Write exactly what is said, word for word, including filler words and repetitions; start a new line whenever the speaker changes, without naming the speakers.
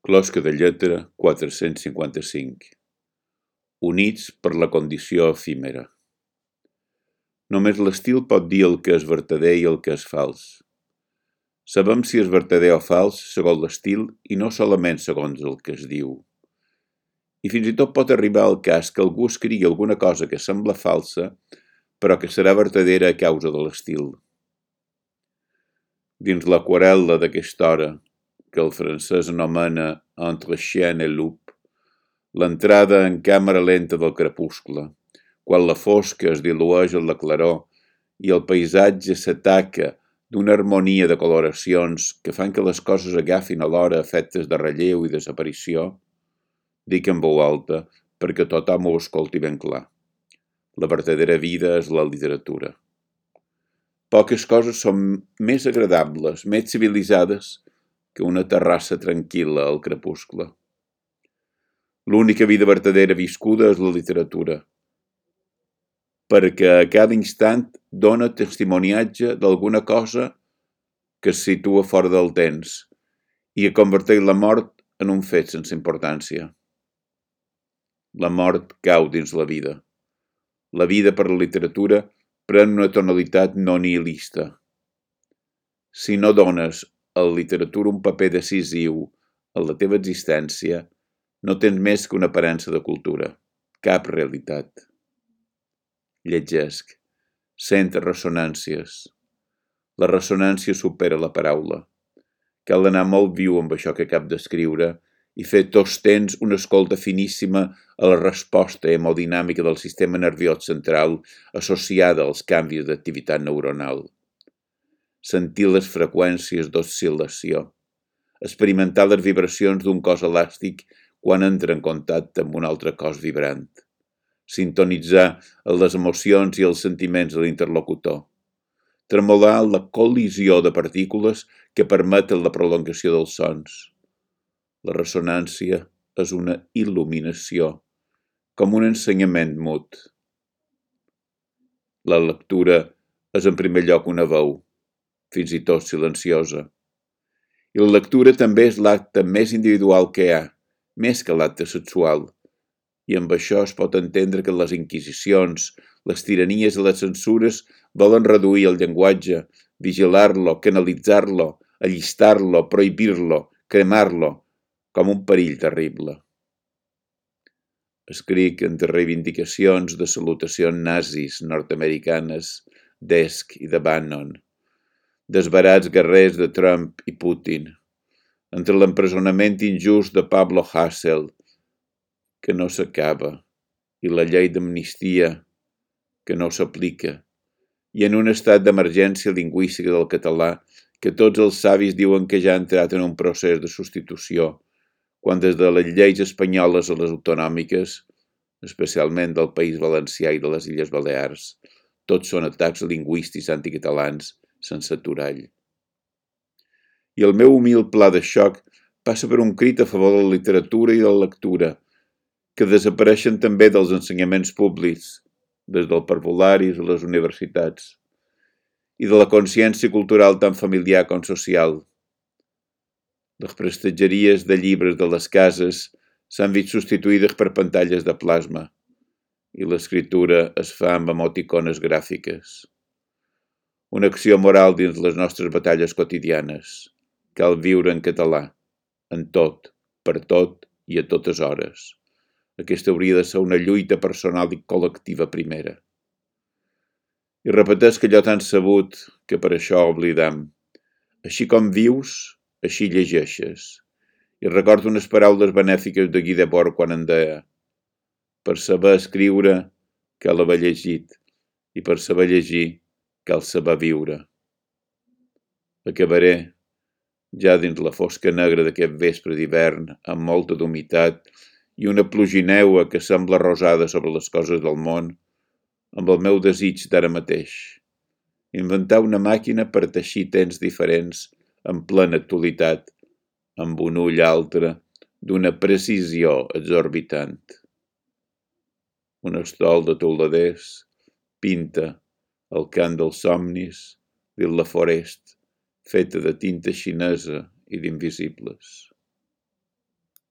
Closca de lletra quatre-cents cinquanta-cinc. Units per la condició efímera. Només l'estil pot dir el que és vertader i el que és fals. Sabem si és vertader o fals segons l'estil i no solament segons el que es diu. I fins i tot pot arribar al cas que algú escrigui alguna cosa que sembla falsa, però que serà vertadera a causa de l'estil. Dins l'aquarel·la d'aquesta hora, que el francès anomena Entre chien et loup, l'entrada en càmera lenta del crepuscle, quan la fosca es dilueix en la claror i el paisatge s'ataca d'una harmonia de coloracions que fan que les coses agafin alhora efectes de relleu i desaparició, dic en veu alta perquè tothom ho escolti ben clar. La vertadera vida és la literatura. Poques coses són més agradables, més civilitzades que una terrassa tranquil·la al crepuscle. L'única vida vertadera viscuda és la literatura, perquè a cada instant dona testimoniatge d'alguna cosa que es situa fora del temps i que converteix la mort en un fet sense importància. La mort cau dins la vida. La vida per la literatura pren una tonalitat no nihilista. Si no dones a la literatura un paper decisiu en la teva existència, no tens més que una aparença de cultura, cap realitat. Llegesc, sent ressonàncies. La ressonància supera la paraula. Cal anar molt viu amb això que acabo d'escriure i fer tots temps una escolta finíssima a la resposta hemodinàmica del sistema nerviós central associada als canvis d'activitat neuronal. Sentir les freqüències d'oscil·lació. Experimentar les vibracions d'un cos elàstic quan entra en contacte amb un altre cos vibrant. Sintonitzar les emocions i els sentiments de l'interlocutor. Tremolar la col·lisió de partícules que permeten la prolongació dels sons. La ressonància és una il·luminació, com un ensenyament mut. La lectura és en primer lloc una veu, fins i tot silenciosa. I la lectura també és l'acte més individual que hi ha, més que l'acte sexual. I amb això es pot entendre que les inquisicions, les tiranies i les censures volen reduir el llenguatge, vigilar-lo, canalitzar-lo, allistar-lo, prohibir-lo, cremar-lo, com un perill terrible. Escric entre reivindicacions de salutacions nazis nord-americanes d'Esch i de Bannon, desbarats guerrers de Trump i Putin, entre l'empresonament injust de Pablo Hasél, que no s'acaba, i la llei d'amnistia, que no s'aplica, i en un estat d'emergència lingüística del català que tots els savis diuen que ja ha entrat en un procés de substitució, quan des de les lleis espanyoles a les autonòmiques, especialment del País Valencià i de les Illes Balears, tots són atacs lingüístics anticatalans sense aturall. I el meu humil pla de xoc passa per un crit a favor de la literatura i de la lectura, que desapareixen també dels ensenyaments públics, des del parvulari a les universitats, i de la consciència cultural tan familiar com social. Les prestatgeries de llibres de les cases s'han vist substituïdes per pantalles de plasma i l'escriptura es fa amb emoticones gràfiques. Una acció moral dins les nostres batalles quotidianes. Cal viure en català, en tot, per tot i a totes hores. Aquesta hauria de ser una lluita personal i col·lectiva primera. I repeteix allò tan sabut que per això oblidam. Així com vius, així llegeixes. I recordo unes paraules benèfiques de Guy Debord quan en deia: per saber escriure cal haver llegit i per saber llegir cal saber viure. Acabaré, ja dins la fosca negra d'aquest vespre d'hivern, amb molta d'humitat i una plugineua que sembla rosada sobre les coses del món, amb el meu desig d'ara mateix. Inventar una màquina per teixir temps diferents en plena actualitat, amb un ull altre d'una precisió exorbitant. Un estol de teuladers pinta el cant dels somnis dins la forest, feta de tinta xinesa i d'invisibles.